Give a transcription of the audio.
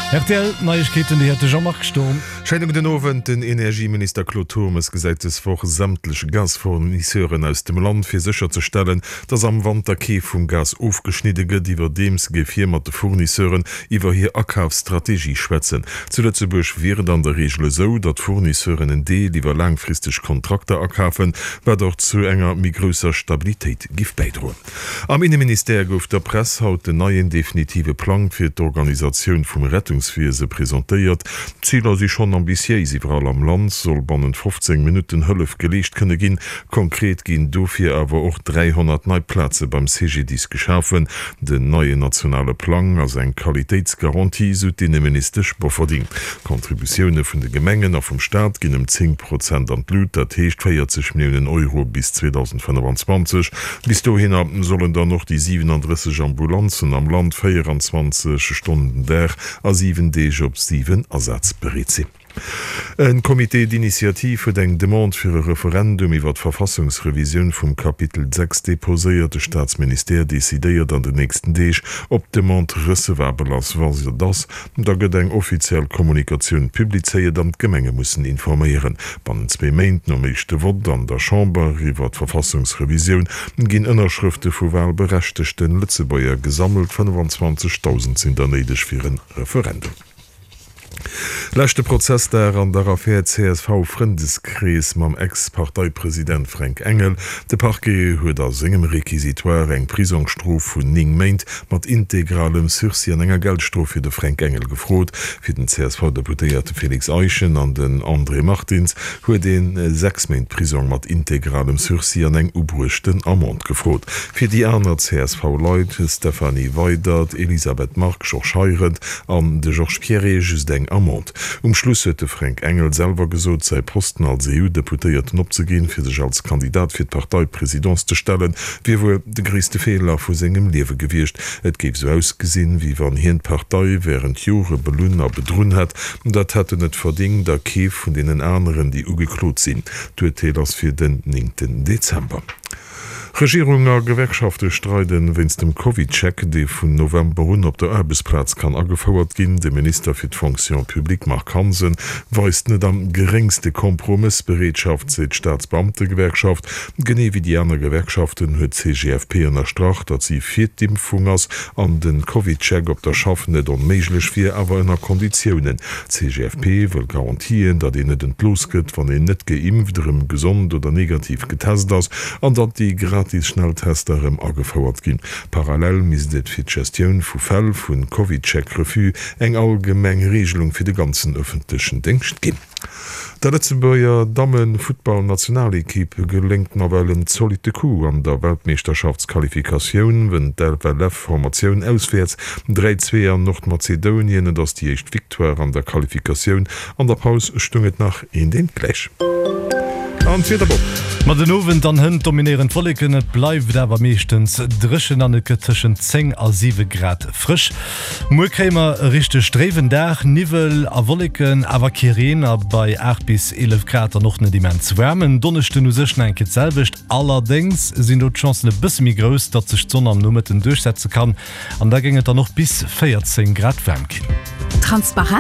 Rtl Neiegkeeten, déi huet de Jean-Marc Sturm. Schéine gudden Owend. Den Energieminister Claude Turmes gesäit dës Woch sämtlech Gasfournisseuren aus dem Land, fir sécherzestellen, datt am Wanter kee vum Gas ofgeschnidde gëtt. Iwwerdeems géif hie mat de Fournisseuren iwwer hir Akafsstrategie schwätzen. Zu Lëtzebuerg wier et an der Reegel esou, datt Fournisseuren en Deel iwwer laangfristeg Kontrakter akafen, wat och zu enger méi grousser Stabilitéit giff bäidroen. Am Inneministère gouf der Press haut den neien definitive Plang fir d'Organisatioun vum Rettungswiese presentéiert. D'Ziler si schonn ambitiéis, Iwwerall am Land soll bannent 15 Minutten Hëllef geleescht kënne ginn. Konkret ginn dofir awer och 300 nei Plaze beim CGDIS geschafen. Den neien nationale Plang ass eng Qualitéitsgarantie, sou d'Inneministesch Bofferding. D'Contributioune vun de Gemengen a vum Staat ginn ëm 10 Prozent an d'Lut, dat heescht 40 Milliounen Euro bis 2025. Bis dohinner sollen dann och déi 37 Ambulanzen am Land 24 Stonnen den Dag a 7 Deeg op 7 asazbereet sinn. E Comité d'initiative huet eng Demande fir e Referendum iwwer d'Verfassungsrevisioun vum Kapitel 6 deposéiert. De Staatsministère decidéiert an den nächsten Deeg, ob d'Demande recevabel ass. Wa se et ass, da gëtt eng offiziell Kommunikatioun publizéiert an d'Gemenge mussen informéieren. Bannent zwee Méint nom éischte Vott an der Chamber iwwer d'Verfassungsrevisioun ginn Ënnerschrëfte vu walberechtegte Lëtzebuerger gesammelt. 25.000 sinn der néideg fir e Referendum. Leschte Prozessdag an der Affär CSV-Frëndeskrees mam Ex-Parteipresident Fränk Engel. De Parquet huet a sengem Réquisitoire eng Prisongsstrof vun 9 Méint mat integralem Sursis an enger Geldstrof fir de Fränk Engel gefrot. Fir den CSV-Deputéierte Félix Eischen an den André Martins huet ee 6 Méint Prisong mat integralem Sursis an eng ubruechten Amende gefrot. Fir déi aner CSV-Leit, Stéphanie Weydert, Elisabeth Margue, Georges Heirendt an de Georges Pierret, just eng Amende. Um Schluss huet de Fränk Engel selwer gesot, säi Posten als EU-Deputéierten opzeginn, fir sech als Kandidat fir d'Parteipresidence ze stellen, wier wuel de gréisste Feeler vu sengem Liewe gewiescht. Et géif sou ausgesinn, wéi wann hien d'Partei wärend Jore belunn a bedrunn hätt. Dat hätt en net verdingt a kee vun deenen aneren, déi ugeklot sinn. D'Urteel ass fir den néngten Dezember. Regierung a Gewerkschafte streiden wéinst dem CovidCheck, dee vun November un op der Aarbechtsplaz kann agefouert ginn. De Minister fir d'Fonction publique Marc Hansen weist net am geréngste Kompromëssbereetschaft, seet d'Staatsbeamtegewerkschaft. Genee wéi déi aner Gewerkschaften huet d'CGFP ënnerstrach, datt si fir d'Impfung ass an de CovidCheck op der Schaff net onméiglech wier, awer ënner Konditiounen. D'CGFP wëll Garantien, datt een net entlooss gëtt, wann een net geimpft, erëm gesond oder negativ getest ass an datt déi gratis Schnelltester erëm agefouert ginn. Parallel misst et fir d'Gestioun vu Fäll vu CovidCheck-Refus eng allgemeng Reegelung fir de ganzen ëffentlechen Déngscht ginn. Der Lëtzebuerger Damme-Futtballnationalekipp geléngt nawell en zolitte Coup an der Weltmeeschterschaftsqualifikatioun, wënnt d'FLF-Formatioun auswäerts 3, 2 an Nordmazedounien. Et ass déi éischt Victoire an der Qualifikatioun. An der Paus stung et nach eent eent gläich. An d'Wieder, Bob. Ma den Owend an hënt dominéieren d'Wolleken, et bleift awer meeschtens dréchen an et gëtt tëschent 10 a 7 Grad frësch. Muer kréie mer e richteg dréiwen Dag, Niwwel a Wolleken, awer kee Reen a bei 8 bis 11 Grad dann och net immens waarm. En Donneschden u sech nach eng Kéier d'selwecht, allerdéngs sinn do d'Chancen e bësse méi grouss, datt sech d'Sonn am Nomëtten duerchsetze kann an da géing et dann och bis 14 Grad waarm ginn. Transparent.